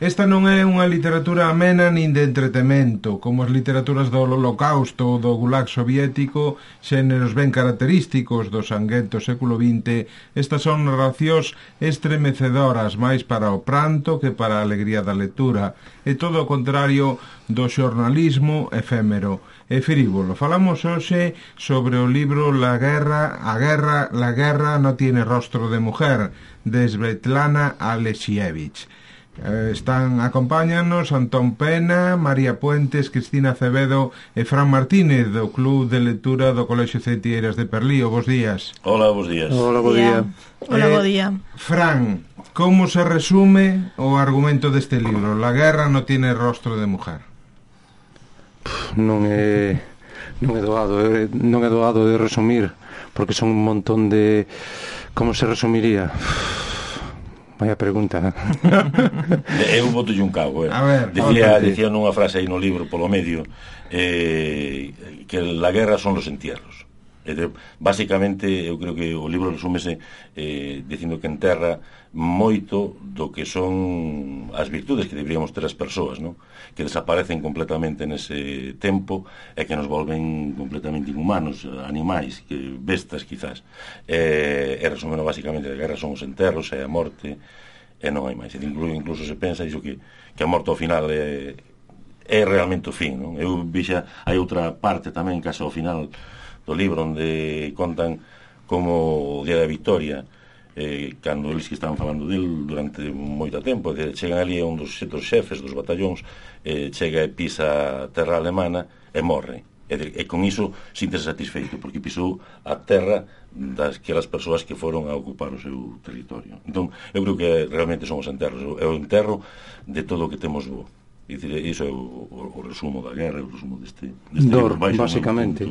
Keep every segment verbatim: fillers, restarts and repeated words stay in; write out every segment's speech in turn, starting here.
Esta non é unha literatura amena nin de entretemento, como as literaturas do Holocausto ou do Gulag soviético, xéneros ben característicos do sanguento século vinte. Estas son narracións estremecedoras máis para o pranto que para a alegría da lectura, e todo o contrario do xornalismo efémero e frívolo. Falamos hoxe sobre o libro La guerra, a guerra, la guerra no tiene rostro de mujer, de Svetlana Alexievich. Eh, están, acompáñanos Antón Pena, María Puentes, Cristina Acevedo e Fran Martínez do Club de Lectura do Colexio Ceitieiras de Perlío. Bos días. Hola, bos días. Hola, bo día. Hola, bo día. Eh, Fran, como se resume o argumento deste libro? La guerra no tiene rostro de mujer. Pff, non é non é doado, é, non é doado de resumir, porque son un montón de... Como se resumiría? Vaya pregunta. Eu boto un cago, eh. A ver, decía, decía nunha frase aí no libro polo medio, eh, que la guerra son los entierros. E de, basicamente, eu creo que o libro resúmese eh, dicindo que enterra moito do que son as virtudes que deberíamos ter as persoas, non? Que desaparecen completamente nese tempo e que nos volven completamente inhumanos, animais, que bestas quizás. E, e resumeno basicamente que a guerra son os enterros e a morte e non hai máis. E incluso, incluso se pensa iso que, que a morte ao final é, é realmente o fin, non? Eu vixa, hai outra parte tamén case ao final do libro onde contan como o día da victoria, eh, cando eles que estaban falando del durante moito tempo, de, chegan ali a un dos xetos xefes dos batallóns, eh, chega e pisa a terra alemana e morre, e, de, e con iso síntese satisfeito porque pisou a terra das que as persoas que foron a ocupar o seu territorio. Entón, eu creo que realmente son os enterros, é o enterro de todo o que temos bo. E dicir, iso é o, o, o resumo da guerra, o resumo deste, deste Dor, um libro, basicamente.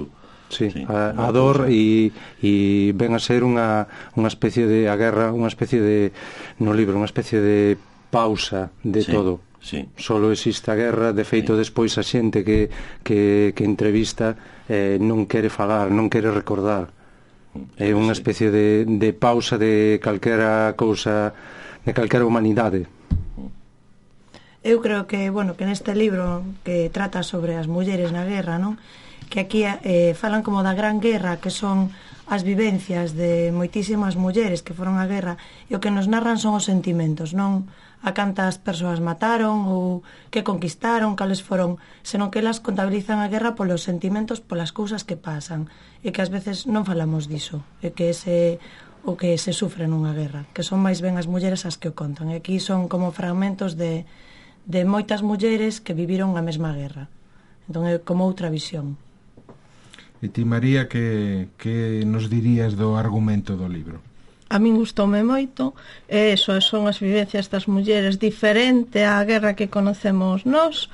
Sí, sí, a, a dor e, e ven a ser unha, unha especie de a guerra, unha especie de no libro, unha especie de pausa de sí, todo. Sí. Solo existe a guerra, de feito sí. Despois a xente que, que, que entrevista eh, non quere falar, non quere recordar. É unha especie de, de pausa de calquera cousa, de calquera humanidade. Eu creo que, bueno, que neste libro que trata sobre as mulleres na guerra, non? Que aquí eh, falan como da Gran Guerra, que son as vivencias de moitísimas mulleres que foron á guerra, e o que nos narran son os sentimentos, non a cantas persoas mataron ou que conquistaron, cales foron, senón que elas contabilizan a guerra polos sentimentos, polas cousas que pasan, e que ás veces non falamos diso, e que ese o que se sufre nunha guerra, que son máis ben as mulleres as que o contan, e aquí son como fragmentos de, de moitas mulleres que viviron a mesma guerra, entón é como outra visión. E ti, María, que, que nos dirías do argumento do libro? A min gustoume moito, e eso son as vivencias das mulleres diferente á guerra que conocemos nós.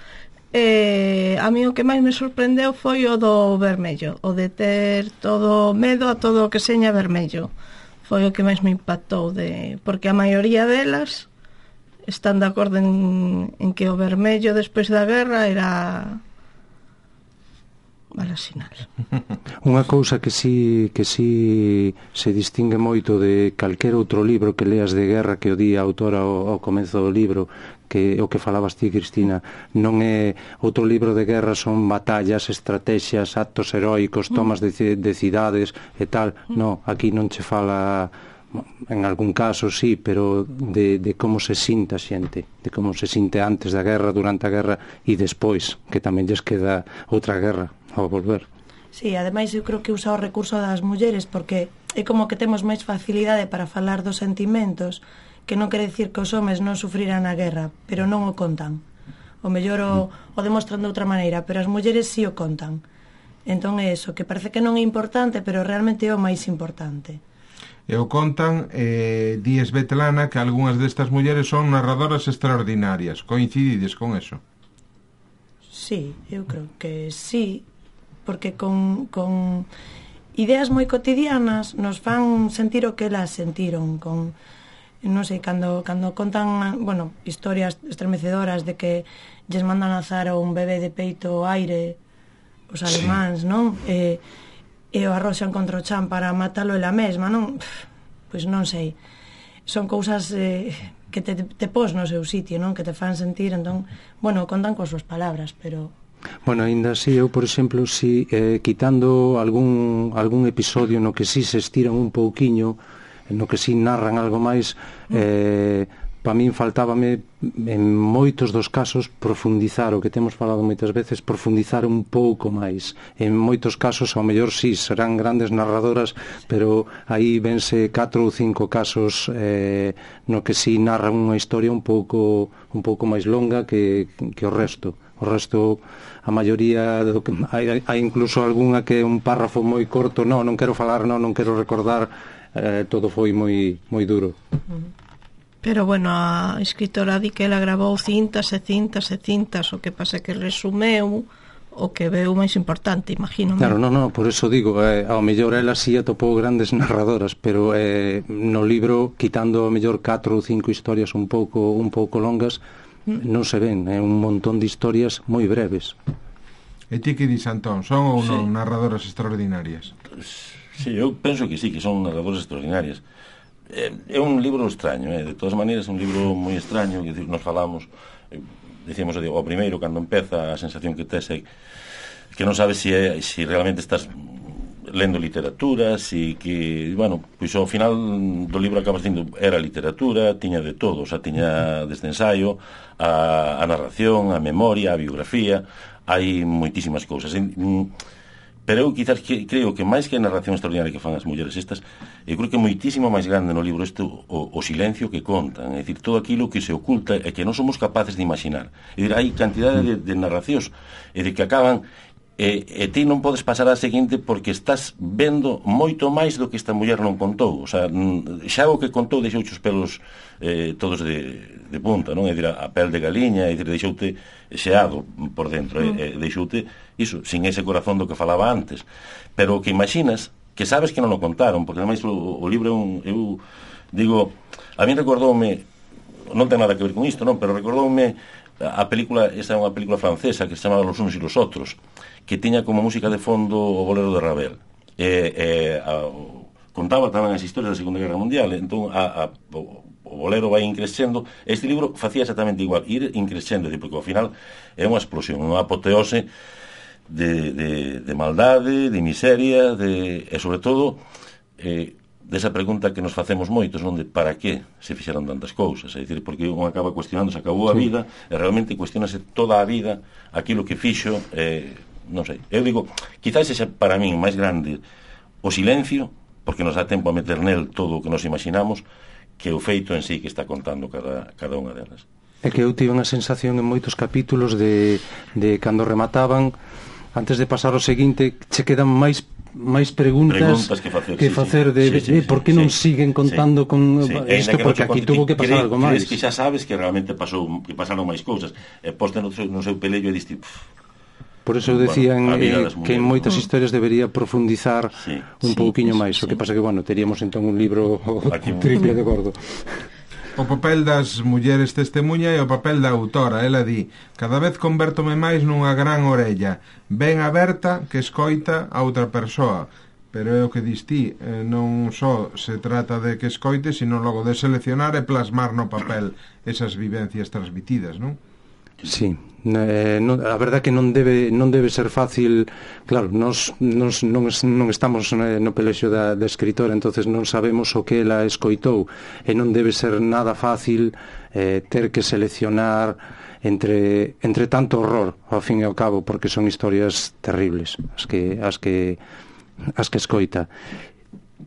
E a mí o que máis me sorprendeu foi o do vermello, o de ter todo medo a todo o que seña vermello. Foi o que máis me impactou, de, porque a maioría delas están de acordo en, en que o vermello despois da guerra era mala sinal. Unha cousa que si, que si se distingue moito de calquer outro libro que leas de guerra que o di a autora ao, ao comezo do libro, que o que falabas ti, Cristina, non é outro libro de guerra, son batallas, estrategias, actos heroicos, tomas de, de cidades e tal. No, aquí non che fala, en algún caso sí, pero de, de como se sinta a xente, de como se sinte antes da guerra, durante a guerra e despois, que tamén lles queda outra guerra ao volver. Sí, ademais eu creo que usa o recurso das mulleres porque é como que temos máis facilidade para falar dos sentimentos, que non quere dicir que os homes non sufriran a guerra, pero non o contan. O mellor o, o demostran de outra maneira, pero as mulleres sí o contan. Entón é eso, que parece que non é importante, pero realmente é o máis importante. E o contan, eh, di Svetlana, que algunhas destas mulleres son narradoras extraordinarias. Coincidides con eso? Sí, eu creo que sí, porque con, con ideas moi cotidianas nos fan sentir o que elas sentiron, con, non sei, cando, cando contan, bueno, historias estremecedoras de que lles mandan lanzar un bebé de peito ao aire os alemáns, sí. Non? E, e o arroxan contra o chan para matalo ela mesma, non? Pois non sei. Son cousas eh, que te, te pos no seu sitio, non? Que te fan sentir, entón, bueno, contan coas súas palabras, pero... Bueno, ainda así, eu, por exemplo, si eh, quitando algún, algún episodio no que si se estiran un pouquiño, no que si narran algo máis, eh, para min faltábame en moitos dos casos profundizar, o que temos falado moitas veces, profundizar un pouco máis. En moitos casos, ao mellor sí, serán grandes narradoras, pero aí vense catro ou cinco casos eh, no que si narran unha historia un pouco un pouco máis longa que, que o resto. O resto, a maioría do que, hai, hai incluso algunha que é un párrafo moi corto, non, non quero falar, non, non quero recordar, eh, todo foi moi moi duro. Pero bueno, a escritora di que ela grabou cintas e cintas e cintas, o que pasa que resumeu o que veu máis importante, imagino. Claro, non, non, por eso digo, eh, ao mellor ela si atopou grandes narradoras, pero eh, no libro, quitando ao mellor catro ou cinco historias un pouco un pouco longas, non se ven, é un montón de historias moi breves. E ti que dis, Antón, son ou non Sí. narradoras extraordinarias? Sí, eu penso que sí, que son narradoras extraordinarias. É, é un libro extraño, eh? De todas maneiras é un libro moi extraño, que nos falamos, eh, decíamos o primeiro, cando empeza, a sensación que tes é que non sabes se é, si realmente estás lendo literatura, si que, bueno, pois ao final do libro acabas dicindo, era literatura, tiña de todo, o sea, tiña desde ensaio, a, a narración, a memoria, a biografía, hai moitísimas cousas. Pero eu quizás que, creo que máis que a narración extraordinaria que fan as mulleres estas, eu creo que é moitísimo máis grande no libro isto o, o silencio que contan, é dicir, todo aquilo que se oculta e que non somos capaces de imaginar. É dicir, hai cantidade de, de narracións, é dicir, que acaban e, e ti non podes pasar á seguinte porque estás vendo moito máis do que esta muller non contou. O sea, xa o que contou deixou os pelos eh, todos de, de punta, non? É dicir, a pel de galiña, é dicir, deixoute xeado por dentro, mm. e, e deixoute iso, sin ese corazón do que falaba antes. Pero o que imaginas, que sabes que non o contaron, porque ademais o, o libro é un, eu digo, a mí recordoume, non ten nada que ver con isto, non, pero recordoume a película, esta é unha película francesa que se chamaba Los unos y los otros, que tiña como música de fondo o bolero de Ravel. E, e a, contaba tamén as historias da Segunda Guerra Mundial, entón a, a, o, o bolero vai increscendo. Este libro facía exactamente igual, ir increscendo, porque ao final é unha explosión, unha apoteose de, de, de maldade, de miseria, de, e sobre todo eh, desa pregunta que nos facemos moitos, non, de para que se fixeron tantas cousas, é dicir, porque un acaba cuestionando, se acabou a vida, e realmente cuestionase toda a vida aquilo que fixo, eh, non sei, eu digo, quizás ese para min máis grande o silencio, porque nos dá tempo a meter nel todo o que nos imaginamos, que o feito en sí que está contando cada, cada unha delas. É que eu tive unha sensación en moitos capítulos de, de cando remataban, antes de pasar ao seguinte, che quedan máis máis preguntas, preguntas que facer, que sí, facer sí, de sí, sí, eh, por que sí, non sí, siguen contando sí, con sí. isto, porque aquí tuvo que pasar algo máis. Crees que xa sabes que realmente pasou, que pasaron máis cousas, e poste no seu, no seu pelello e diste, por eso eu decía bueno, eh, que en moitas historias debería profundizar sí, un sí, pouquiño sí, máis, sí. o que pasa que, bueno, teríamos entón un libro Aquí, triple de gordo. O papel das mulleres testemunha e o papel da autora. Ela di, cada vez convértome máis nunha gran orella, ben aberta que escoita a outra persoa. Pero é o que dis ti, eh, non só se trata de que escoite, sino logo de seleccionar e plasmar no papel esas vivencias transmitidas, non? Sí, eh, non, a verdade que non debe non debe ser fácil, claro, nos, nos non, non estamos no pelexo da, da escritora, entonces non sabemos o que ela escoitou, e non debe ser nada fácil eh, ter que seleccionar entre, entre tanto horror, ao fin e ao cabo, porque son historias terribles as que, as que, as que escoita.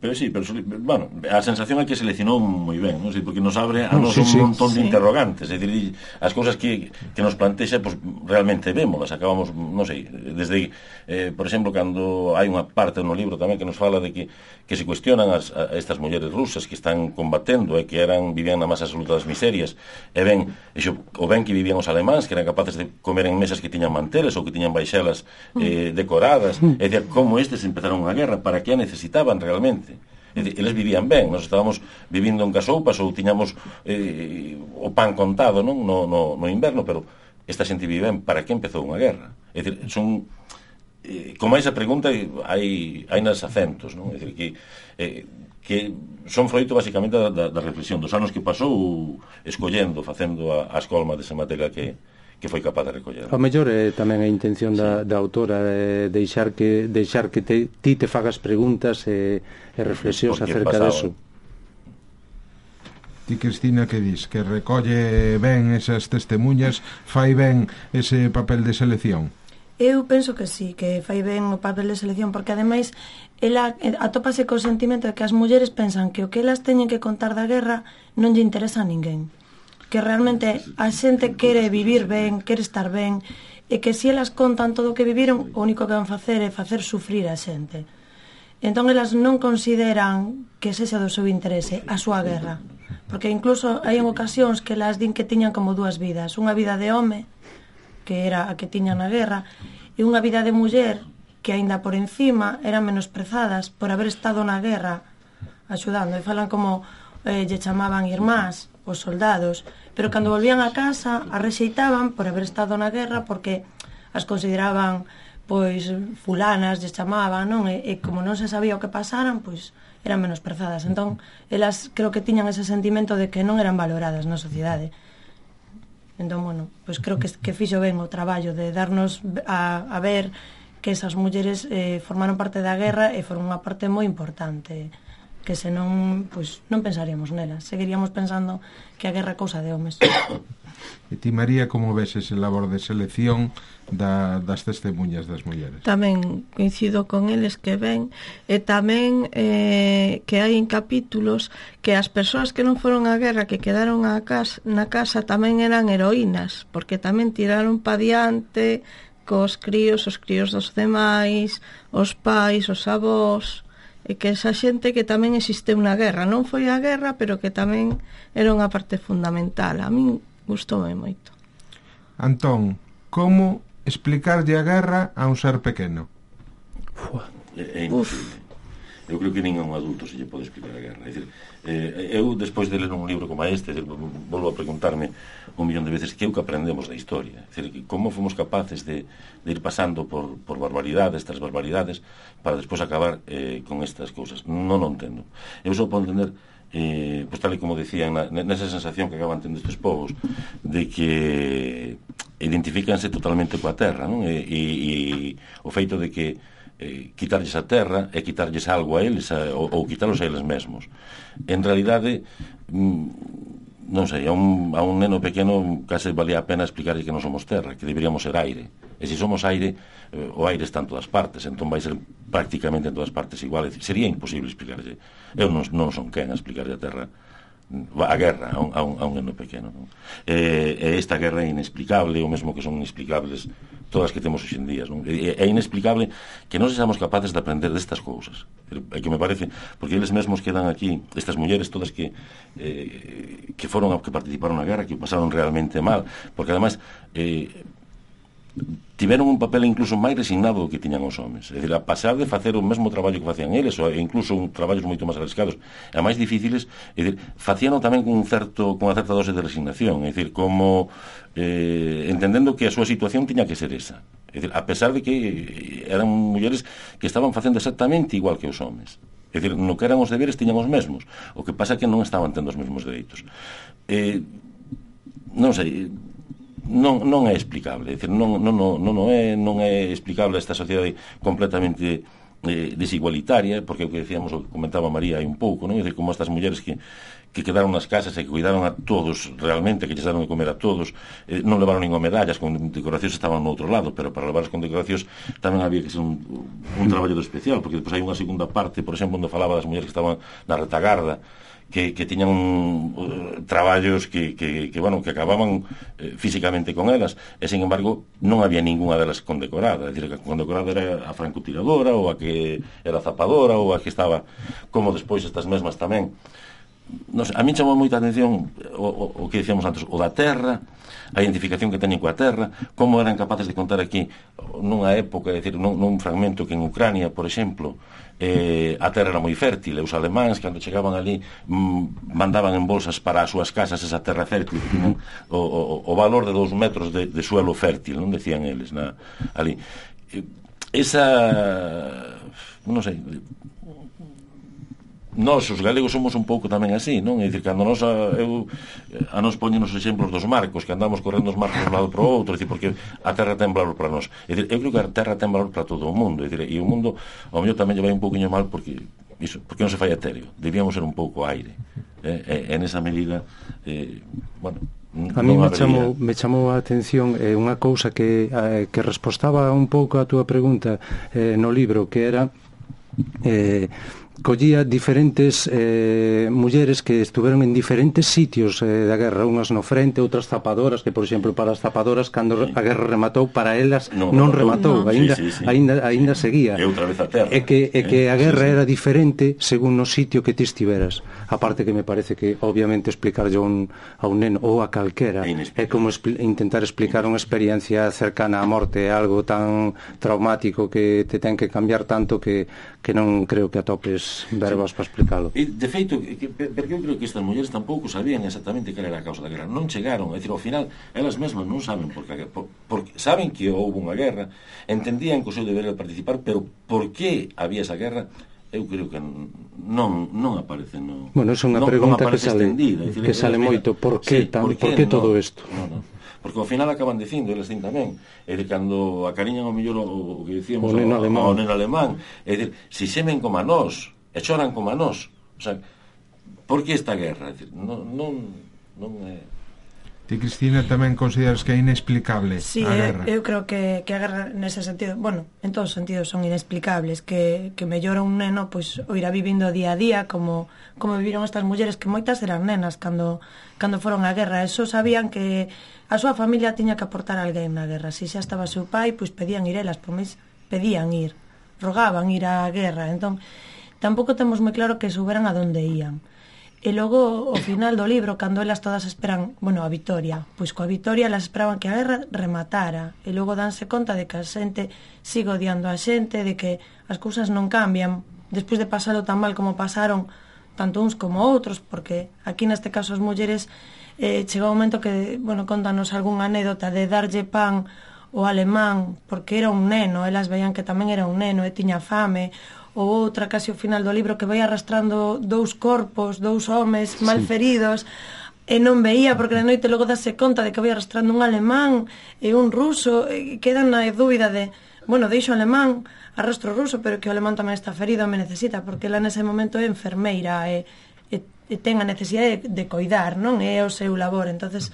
Pero sí, pero, bueno, a sensación é que seleccionou moi ben, non sei, porque nos abre a no, nos sí, un sí, montón sí. de interrogantes, é dicir, as cousas que, que nos plantexa, pues, realmente vémolas, acabamos, non sei, desde, eh, por exemplo, cando hai unha parte no libro tamén que nos fala de que, que se cuestionan as, a estas mulleres rusas que están combatendo e que eran, vivían na máis absoluta das miserias, e ben, exo, o ben que vivían os alemáns, que eran capaces de comer en mesas que tiñan manteles ou que tiñan baixelas eh, decoradas, e dicir, como estes empezaron unha guerra, para que a necesitaban realmente. Eles vivían ben, nos estábamos vivindo en casoupas ou tiñamos eh, o pan contado, non? No, no, no inverno, pero esta xente vive ben, para que empezou unha guerra? É dicir, son eh, como esa pregunta hai, hai nas acentos, non? É dicir, que, eh, que son froito basicamente da, da, da reflexión dos anos que pasou escollendo, facendo a, a escolma desa materia que que foi capaz de recoller. O mellor é tamén a intención da, da autora é deixar que deixar que te, ti te fagas preguntas e, e reflexións acerca deso. Ti, Cristina, que dis? Que recolle ben esas testemunhas, fai ben ese papel de selección? Eu penso que sí, que fai ben o papel de selección, porque ademais ela atópase co sentimento de que as mulleres pensan que o que elas teñen que contar da guerra non lle interesa a ninguén, que realmente a xente quere vivir ben, quere estar ben, e que se elas contan todo o que viviron, o único que van facer é facer sufrir a xente. Entón elas non consideran que sexa do seu interese a súa guerra, porque incluso hai en ocasións que elas din que tiñan como dúas vidas, unha vida de home, que era a que tiñan na guerra, e unha vida de muller que aínda por encima eran menosprezadas por haber estado na guerra axudando, e falan como eh, lle chamaban irmás os soldados, pero cando volvían a casa a rexeitaban por haber estado na guerra, porque as consideraban pois fulanas, lle chamaban, non? E, e como non se sabía o que pasaran, pois eran menosprezadas. Entón, elas creo que tiñan ese sentimento de que non eran valoradas na sociedade. Entón, bueno, pois creo que, que fixo ben o traballo de darnos a, a ver que esas mulleres eh, formaron parte da guerra e foron unha parte moi importante, que senón, pois, non pensaríamos nelas, seguiríamos pensando que a guerra é cousa de homes. E ti, María, como ves ese labor de selección da, das testemunhas das mulleres? Tamén coincido con eles que ven, e tamén eh, que hai en capítulos que as persoas que non foron á guerra, que quedaron a casa, na casa, tamén eran heroínas, porque tamén tiraron pa diante cos críos, os críos dos demais, os pais, os avós, e que esa xente que tamén existe unha guerra, non foi a guerra, pero que tamén era unha parte fundamental. A min gustoume moito. Antón, como explicarlle a guerra a un ser pequeno? Uf, é, é imposible. Eu creo que ningún adulto se lle pode explicar a guerra. É dicir, eh, eu, despois de ler un libro como este, volvo a preguntarme un millón de veces que é o que aprendemos da historia. É dicir, como fomos capaces de, de ir pasando por, por barbaridades, tras barbaridades, para despois acabar eh, con estas cousas. Non o entendo. Eu só podo entender, eh, pues tal e como decían, na, nesa sensación que acaban tendo estes povos, de que identifícanse totalmente coa terra, non? E, e, e o feito de que eh, quitarlles a terra e quitarlles algo a eles a, ou, ou quitarlos a eles mesmos. En realidade, mm, non sei, a un, a un neno pequeno case valía a pena explicarlle que non somos terra, que deberíamos ser aire. E se somos aire, eh, o aire está en todas partes, entón vai ser prácticamente en todas partes igual. Sería imposible explicarlle. Eu non, non son quen a explicarlle a terra, a guerra a un, a un, a un neno pequeno, non? E, e esta guerra é inexplicable, o mesmo que son inexplicables todas as que temos hoxe en día, non? É, é inexplicable que non sexamos capaces de aprender destas cousas. É que me parece, porque eles mesmos quedan aquí, estas mulleres todas que eh, que foron que participaron na guerra, que pasaron realmente mal, porque ademais eh, tiveron un papel incluso máis resignado do que tiñan os homes. É dicir, a pasar de facer o mesmo traballo que facían eles, ou incluso un traballos moito máis arriscados e máis difíciles, é dicir, facíano tamén con un certo con unha certa dose de resignación, é dicir, como eh, entendendo que a súa situación tiña que ser esa. É dicir, a pesar de que eran mulleres que estaban facendo exactamente igual que os homes. É dicir, no que eran os deberes tiñan os mesmos, o que pasa é que non estaban tendo os mesmos dereitos. Eh, non sei, non, non é explicable, é dicir, non, non, non, non, é, non é explicable esta sociedade completamente eh, desigualitaria, porque o que decíamos, o que comentaba María hai un pouco, non? É dicir, como estas mulleres que, que quedaron nas casas e que cuidaron a todos realmente, que lles daron de comer a todos, eh, non levaron ningún medallas, con decoracións estaban no outro lado, pero para levarlas con decoracións tamén había que ser un, un traballo especial, porque depois hai unha segunda parte, por exemplo, onde falaba das mulleres que estaban na retagarda, que, que tiñan uh, traballos que, que, que, bueno, que acababan eh, físicamente con elas, e, sin embargo, non había ninguna delas condecorada. É dicir, que a condecorada era a francotiradora, ou a que era zapadora, ou a que estaba, como despois estas mesmas tamén. Non sei, a mí chamou moita atención o, o, o que decíamos antes, o da terra, a identificación que teñen coa terra, como eran capaces de contar aquí nunha época, é dicir, nun, nun fragmento que en Ucrania, por exemplo, eh, a terra era moi fértil, e os alemáns, cando chegaban ali, mm, mandaban en bolsas para as súas casas esa terra fértil, que tiñen o, o, o valor de dous metros de, de suelo fértil, non decían eles na, ali. esa, non sei, nós os galegos somos un pouco tamén así, non? É dicir, cando nos a, eu, a nos poñen os exemplos dos marcos, que andamos correndo os marcos de un lado para o outro, é dicir, porque a terra ten valor para nós. É dicir, eu creo que a terra ten valor para todo o mundo, é dicir, e o mundo ao mellor tamén lle vai un pouquinho mal porque iso, porque non se fai etéreo. Debíamos ser un pouco aire. Eh, e, en esa medida, eh, bueno, a mí me chamou, me chamou a atención eh, unha cousa que, eh, que respostaba un pouco a túa pregunta eh, no libro, que era eh, collía diferentes eh, mulleres que estuveron en diferentes sitios eh, da guerra, unhas no frente, outras zapadoras, que por exemplo para as zapadoras cando sí. a guerra rematou, para elas non, non rematou, no. Ainda, sí, sí, sí. Ainda, ainda seguía. E outra vez a terra. E que, e que a guerra sí, sí. era diferente según no sitio que ti estiveras. Aparte que me parece que obviamente explicarlle a un, a un neno ou a calquera é como expl intentar explicar unha experiencia cercana á morte, é algo tan traumático que te ten que cambiar tanto que, que non creo que atopes verbas sí. para explicalo. E, de feito, que, porque eu creo que estas mulleres tampouco sabían exactamente cal era a causa da guerra. Non chegaron, é dicir, ao final, elas mesmas non saben por que, por, por, saben que houve unha guerra, entendían que o seu deber era participar, pero por que había esa guerra, eu creo que non, non aparece no, bueno, é unha non, pregunta non que sale, extendida, decir, que sale moito, por que, sí, tan, por que, por que no, todo isto? No, no. Porque ao final acaban dicindo, eles din tamén, é de cando acariñan ao mellor o, o que dicíamos o neno alemán, o neno alemán, é de, si semen como a nós, e choran como a nós, o sea, por que esta guerra? É dicir, non, non, non é... Ti, Cristina, tamén consideras que é inexplicable sí, a guerra? Sí, eu creo que, que a guerra nese sentido, bueno, en todos os sentidos son inexplicables, que, que mellora un neno pois, o irá vivindo día a día como, como viviron estas mulleres, que moitas eran nenas cando, cando foron á guerra. Eso sabían que a súa familia tiña que aportar a alguén na guerra. Si xa estaba seu pai, pois pedían ir elas, por máis pedían ir, rogaban ir á guerra. Entón, tampouco temos moi claro que souberan a donde ían. E logo, ao final do libro, cando elas todas esperan, bueno, a vitoria, pois coa vitoria elas esperaban que a guerra rematara, e logo danse conta de que a xente sigue odiando a xente, de que as cousas non cambian, despois de pasalo tan mal como pasaron tanto uns como outros, porque aquí neste caso as mulleres eh, chegou un momento que, bueno, contanos algunha anécdota de darlle pan ao alemán, porque era un neno, elas veían que tamén era un neno e tiña fame, ou outra casi ao final do libro que vai arrastrando dous corpos, dous homes mal feridos, e non veía porque na noite logo dase conta de que vai arrastrando un alemán e un ruso, e quedan na dúbida de, bueno, deixo o alemán, arrastro o ruso, pero que o alemán tamén está ferido, me necesita, porque ela nese momento é enfermeira e, e, e ten a necesidade de, de coidar, non? É o seu labor. Entonces,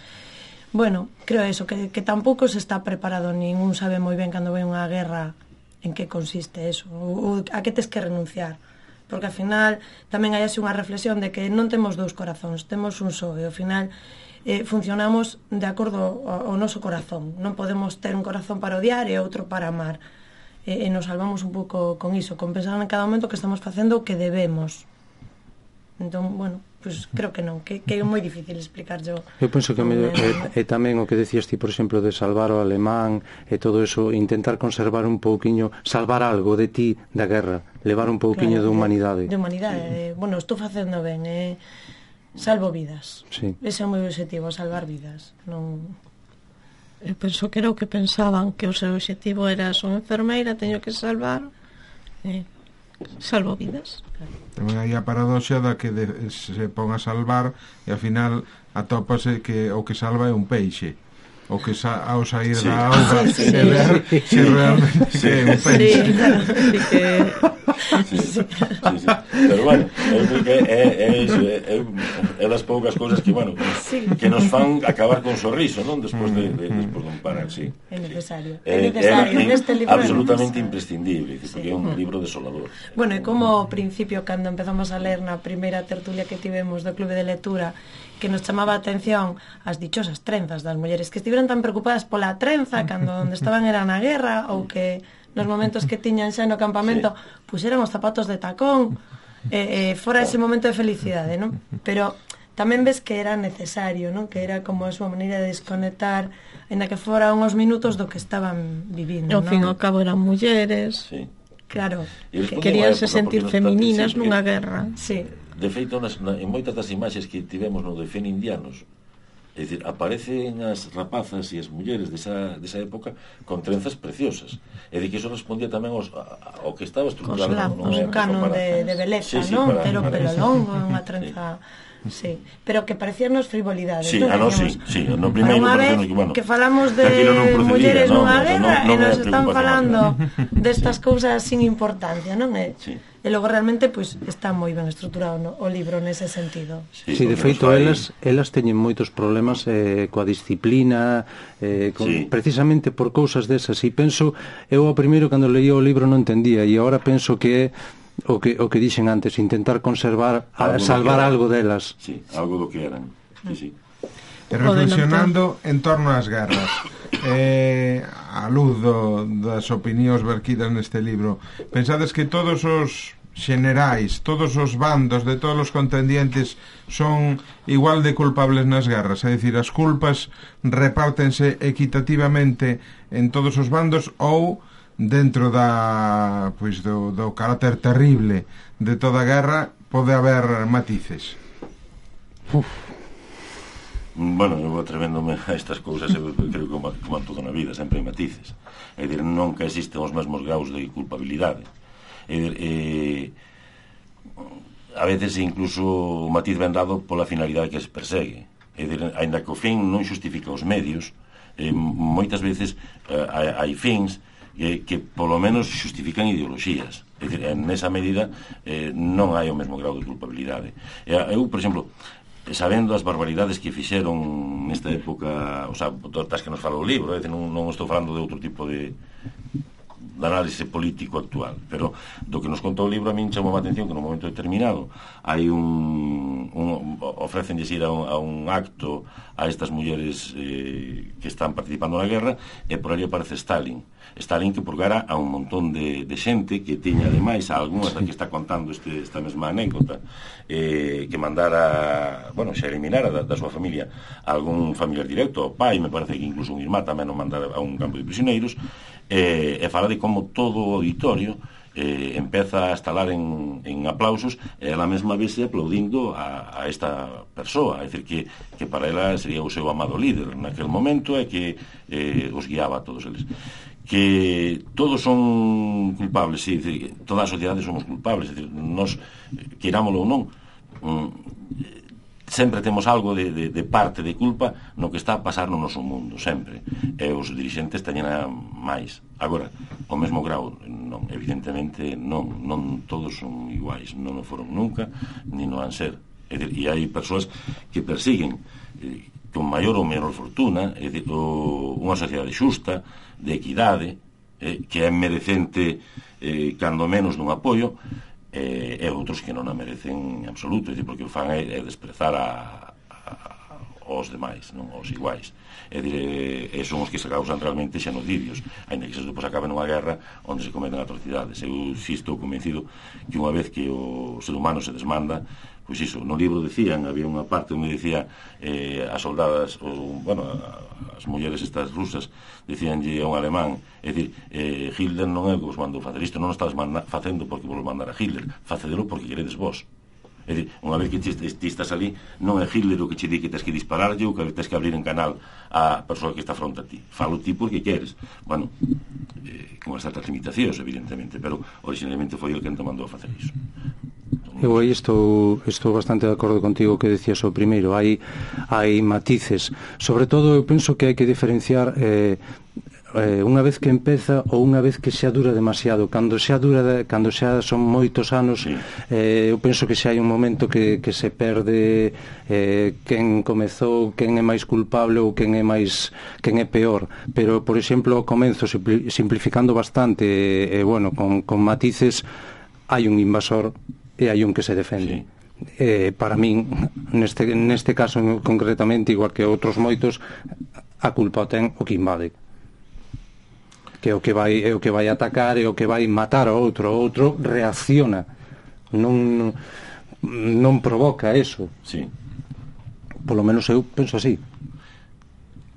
bueno, creo eso, que, que tampouco se está preparado, ningún sabe moi ben cando vai unha guerra en que consiste eso, ou a que tes que renunciar, porque ao final tamén hai así unha reflexión de que non temos dous corazóns, temos un só, e ao final eh, funcionamos de acordo ao, ao noso corazón, non podemos ter un corazón para odiar e outro para amar, e, e nos salvamos un pouco con iso, con pensar en cada momento que estamos facendo o que debemos. Entón, bueno, pues creo que non, que, que é moi difícil explicar yo. Eu penso que me, é, é tamén o que decías ti, por exemplo, de salvar o alemán e todo eso, intentar conservar un pouquiño, salvar algo de ti da guerra, levar un pouquiño claro, de humanidade. De, de humanidade, sí. eh, bueno, estou facendo ben, eh, salvo vidas. Sí. Ese é o meu objetivo, salvar vidas. Non... Eu penso que era o que pensaban, que o seu objetivo era son enfermeira, teño que salvar... Eh. Salvo vidas. Tamén hai a paradoxa da que de, se pon a salvar e ao final atópase que o que salva é un peixe, o que sa, ao sair sí. da auga sí, sí. se ver sí. se realmente sí. é un peixe. Sí, claro, sí que... Sí, sí, sí. Pero bueno, eu creo que é, é iso, é, é, é das poucas cousas que, bueno, sí. que nos fan acabar con sorriso, non? Despois de, de, despois de un parar, sí. É necesario. É, é necesario. É, Neste libro absolutamente imprescindible, sí. porque é un libro desolador. Bueno, e como ao principio, cando empezamos a ler na primeira tertulia que tivemos do Clube de Lectura, que nos chamaba a atención as dichosas trenzas das mulleres que estiveron tan preocupadas pola trenza cando onde estaban era na guerra, ou que nos momentos que tiñan xa no campamento sí. puseran os zapatos de tacón, e, e fora ese momento de felicidade, non? Pero tamén ves que era necesario, non? Que era como a súa maneira de desconectar, ainda que fora uns minutos do que estaban vivindo, non? Ao fin e ao cabo eran mulleres. Sí. Claro. Que queríanse sentir femininas nunha guerra. Sí. De feito, nas, na, en moitas das imaxes que tivemos no de Fen Indianos, É dicir, aparecen as rapazas e as mulleres desa, desa época con trenzas preciosas. É dicir, que iso respondía tamén aos, ao que estaba estructurado. Cos lapos, un canon de, de beleza, sí, sí, non? Para, Pero para pelo eso. longo, unha trenza... Sí. sí, pero que parecíanos frivolidades. Sí, non? ah, no, sí, sí, no primeiro unha vez que, bueno, que falamos de no mulleres no, nunha no, guerra no, no, e nos no están falando destas cousas sin importancia, non é? Sí. E logo realmente pois pues, está moi ben estruturado no, o libro nese sentido. Sí, sí, de feito fai... elas elas teñen moitos problemas eh, coa disciplina, eh, con, sí. precisamente por cousas desas, e penso, eu ao primeiro cando leía o libro non entendía, e agora penso que é o que, o que dixen antes, intentar conservar, algo salvar algo delas. Sí, algo do que eran. Sí, sí. E reflexionando en torno ás guerras, eh, a luz do, das opinións verquidas neste libro, pensades que todos os xenerais, todos os bandos de todos os contendientes son igual de culpables nas guerras? É dicir, as culpas repártense equitativamente en todos os bandos ou dentro da, pois, do, do carácter terrible de toda a guerra pode haber matices? Uf. Bueno, eu atrevéndome a estas cousas, eu creo que como, como en todo na vida sempre hai matices, é dicir, nunca existen os mesmos graus de culpabilidade, é dicir, eh, a veces incluso o matiz ben dado pola finalidade que se persegue, é dicir, ainda que o fin non xustifica os medios, eh, moitas veces eh, hai, hai fins que, que polo menos xustifican ideoloxías. É dicir, nesa medida eh, non hai o mesmo grau de culpabilidade. Eu, por exemplo, sabendo as barbaridades que fixeron nesta época, o sea, das que nos fala o libro, é dicir, non, non estou falando de outro tipo de, de análise político actual, pero do que nos contou o libro a min chamou a atención que nun momento determinado hai un, un ofrecenlles ir a un, a un acto a estas mulleres eh, que están participando na guerra, e por ali aparece Stalin Stalin que purgara a un montón de, de xente que tiña ademais a algunhas da que está contando este, esta mesma anécdota, eh, que mandara, bueno, xa eliminara da, da súa familia algún familiar directo, o pai, me parece que incluso un irmán tamén o mandara a un campo de prisioneiros, eh, e fala de como todo o auditorio eh, empeza a estalar en, en aplausos, e ela mesma vese aplaudindo a, a esta persoa, é dicir, que, que para ela sería o seu amado líder naquel momento, e que eh, os guiaba a todos eles. Que todos son culpables, sí, decir, toda a sociedade somos culpables, decir, nos, querámoslo ou non, mm, sempre temos algo de, de, de parte de culpa no que está a pasar no noso mundo, sempre, e os dirixentes teñen a máis. Agora, o mesmo grau, non, evidentemente non, non todos son iguais, non o foron nunca, ni non han ser. E, e hai persoas que persiguen eh, con maior ou menor fortuna, é dicir, o, unha sociedade xusta, de equidade, eh, que é merecente eh, cando menos dun apoio, eh, e outros que non a merecen en absoluto, é dicir, porque o fan é, é desprezar a, a, aos demais, non, aos iguais. É dicir, e son os que se causan realmente xenocidios, ainda que se depois acaben nunha guerra onde se cometen atrocidades. Eu si estou convencido que unha vez que o ser humano se desmanda, pois iso, no libro decían, había unha parte onde decía eh, as soldadas, ou, bueno, as mulleres estas rusas, decíanlle a un alemán, é dicir, eh, Hitler non é o que vos mandou facer isto, non o estás facendo porque vos mandara Hitler, facedelo porque queredes vos. É dicir, unha vez que ti, ti estás ali, non é Hitler o que che di que tens que dispararlle ou que tens que abrir en canal a persoa que está fronte a ti. Falo ti porque queres. Bueno, eh, con certas limitacións, evidentemente, pero originalmente foi el que te mandou a facer iso. Eu aí estou, estou bastante de acordo contigo que decías o primeiro, hai, hai matices, sobre todo eu penso que hai que diferenciar eh, eh, unha vez que empeza ou unha vez que xa dura demasiado. Cando xa dura, cando xa son moitos anos, sí. eh, eu penso que xa hai un momento que, que se perde eh, quen comezou, quen é máis culpable ou quen é máis, quen é peor, pero por exemplo ao comenzo, simplificando bastante e eh, bueno, con, con matices, hai un invasor e hai un que se defende. Sí. Eh, para min, neste, neste caso concretamente, igual que outros moitos, a culpa ten o que invade, que é o que vai, é o que vai atacar, é o que vai matar ao outro. O outro reacciona, non non provoca eso. Sí. Polo menos eu penso así.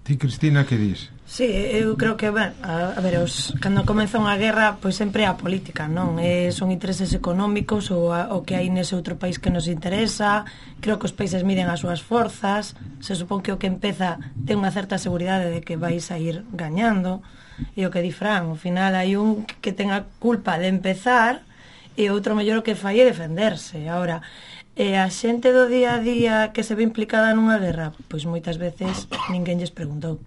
Ti, Cristina, que dis? Sí, eu creo que, ben, a, a ver, os, cando comeza unha guerra, pois sempre é a política, non? E son intereses económicos ou a, o que hai nese outro país que nos interesa. Creo que os países miden as súas forzas. Se supón que o que empeza ten unha certa seguridade de que vais a ir gañando. E o que di Fran, ao final hai un que ten a culpa de empezar e outro mellor o que fai é defenderse. Ahora, e a xente do día a día que se ve implicada nunha guerra, pois moitas veces ninguén lles preguntou.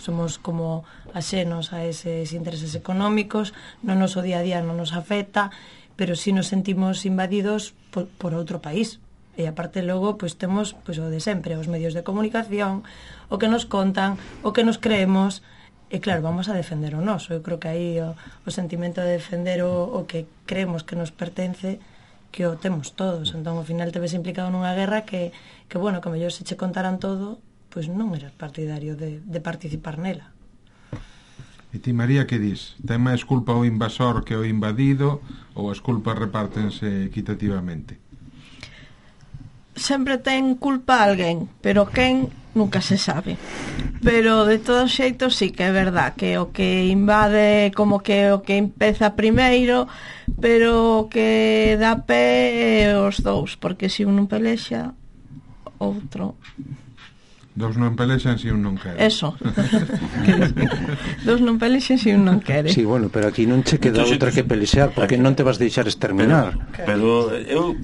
Somos como axenos a eses intereses económicos, no noso día a día non nos afecta, pero si nos sentimos invadidos por, por outro país. E aparte logo, pois temos pois, o de sempre, os medios de comunicación, o que nos contan, o que nos creemos, e claro, vamos a defender o noso. Eu creo que aí o, o sentimento de defender o, o que creemos que nos pertence, que o temos todos. Entón, ao final te ves implicado nunha guerra que, que bueno, que mellor se che contaran todo, pois non eras partidario de, de participar nela. E ti, María, que dis? Ten máis culpa o invasor que o invadido ou as culpas repártense equitativamente? Sempre ten culpa alguén, pero quen nunca se sabe. Pero de todos xeitos sí que é verdad que o que invade como que o que empeza primeiro, pero o que dá pé é os dous, porque se un non pelexa, outro... Dous non pelexan se un non quere. Eso. Dous non pelexan se un non quere. Sí, bueno, pero aquí non che queda Entonces, outra que pelexar, porque non te vas deixar exterminar. Pero, pero eu...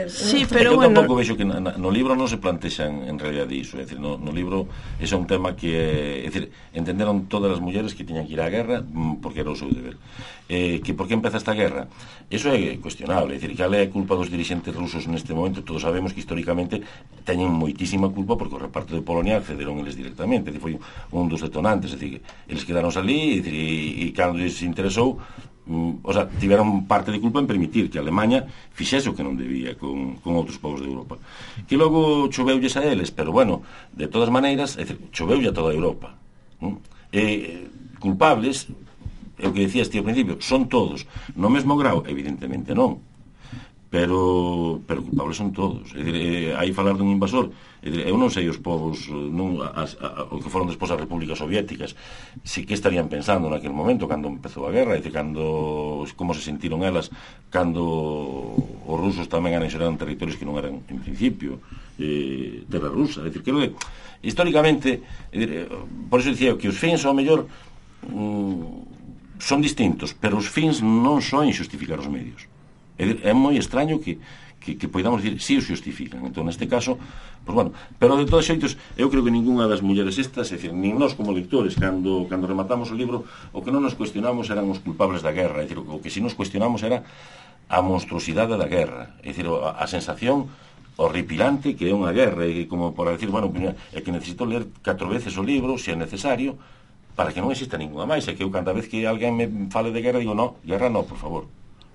Sí, pero eu bueno... tampouco vexo que na, no libro non se plantexan en realidad iso. É dicir, no, no libro ese é un tema que... É dicir, entenderon todas as mulleres que tiñan que ir á guerra porque era o seu deber. Eh, que por que empeza esta guerra? Eso é cuestionable. É dicir, que a culpa dos dirigentes rusos neste momento, todos sabemos que históricamente teñen moitísima culpa porque o reparto de Polonia accederon eles directamente. É dicir, foi un dos detonantes. É dicir, eles quedaron ali e, e, e cando lles interesou, um, o sea, tiveron parte de culpa en permitir que a Alemanha fixese o que non debía con, con outros povos de Europa. Que logo choveulles a eles, pero bueno, de todas maneiras, é dicir, choveulle a toda a Europa. ¿Mm? E culpables, é o que decías ti ao principio, son todos. No mesmo grau, evidentemente non. Pero, pero culpables son todos. É dicir, eh, hai falar dun invasor. É dicir, eu non sei os povos, non, as, a, o que foron despois as repúblicas soviéticas, si que estarían pensando naquele momento, cando empezou a guerra, é dicir, cando, como se sentiron elas, cando os rusos tamén anexionaron territorios que non eran, en principio, eh, terra rusa. É dicir, que históricamente, é dicir, por iso dicía que os fins, ao mellor, mm, son distintos, pero os fins non son xustificar os medios. É, é moi extraño que, que, que podamos dicir si os xustifican. Entón, neste caso, pues bueno, pero de todos xeitos, eu creo que ninguna das mulleres estas, é dicir, nin nós como lectores, cando, cando rematamos o libro, o que non nos cuestionamos eran os culpables da guerra. É dicir, o que si nos cuestionamos era a monstruosidade da guerra. É dicir, a, a sensación horripilante que é unha guerra, e como para decir, bueno, é que necesito ler catro veces o libro, se é necesario, para que non exista ninguna máis. É que eu, cada vez que alguén me fale de guerra, digo, no, guerra no, por favor.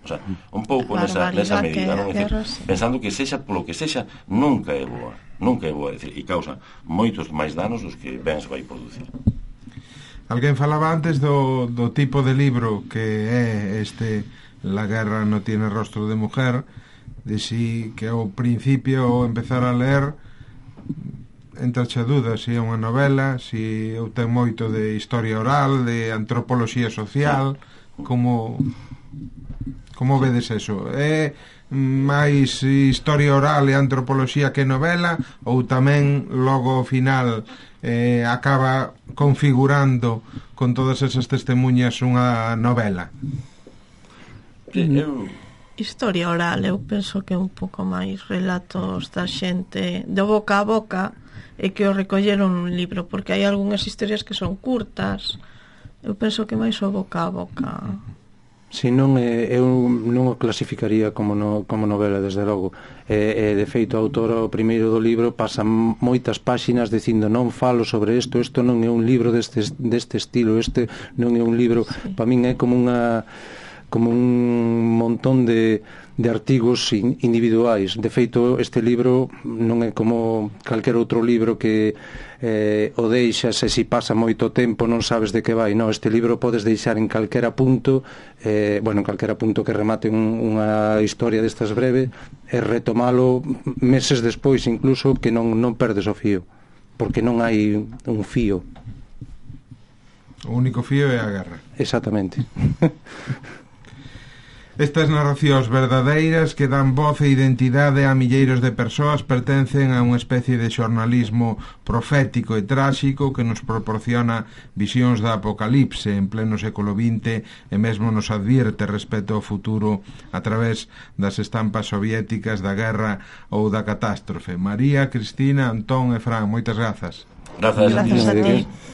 O sea, un pouco nesa, nesa medida, non? Decir, pensando que sexa polo que sexa, nunca é boa, nunca é boa, decir, e causa moitos máis danos dos que ben se vai producir. Alguén falaba antes do, do tipo de libro que é este La guerra no tiene rostro de mujer, de si que ao principio ao empezar a ler entrache a dúda se é unha novela, se eu ten moito de historia oral, de antropoloxía social, como como vedes eso? É máis historia oral e antropoloxía que novela, ou tamén logo ao final eh, acaba configurando con todas esas testemunhas unha novela? Eu... Historia oral, eu penso que é un pouco máis relatos da xente de boca a boca e que o recolleron nun libro, porque hai algunhas historias que son curtas. Eu penso que máis o boca a boca. Si non, eu non o clasificaría como, no, como novela, desde logo. E, e, de feito, a autora, o primeiro do libro, pasa moitas páxinas dicindo non falo sobre isto, isto non é un libro deste, deste estilo, este non é un libro, sí. Para min é como unha como un montón de, de artigos individuais. De feito, este libro non é como calquer outro libro que eh, o deixas e se pasa moito tempo non sabes de que vai. No, este libro podes deixar en calquera punto, eh, bueno, en calquera punto que remate un, unha historia destas breve, e retomalo meses despois incluso, que non, non perdes o fío. porque non hai un fío. O único fío é a guerra. Exactamente. Estas narracións verdadeiras que dan voz e identidade a milleiros de persoas pertencen a unha especie de xornalismo profético e tráxico que nos proporciona visións da apocalipse en pleno século vinte e mesmo nos advierte respecto ao futuro a través das estampas soviéticas da guerra ou da catástrofe. María, Cristina, Antón e Fran, moitas grazas. Grazas. Grazas a ti.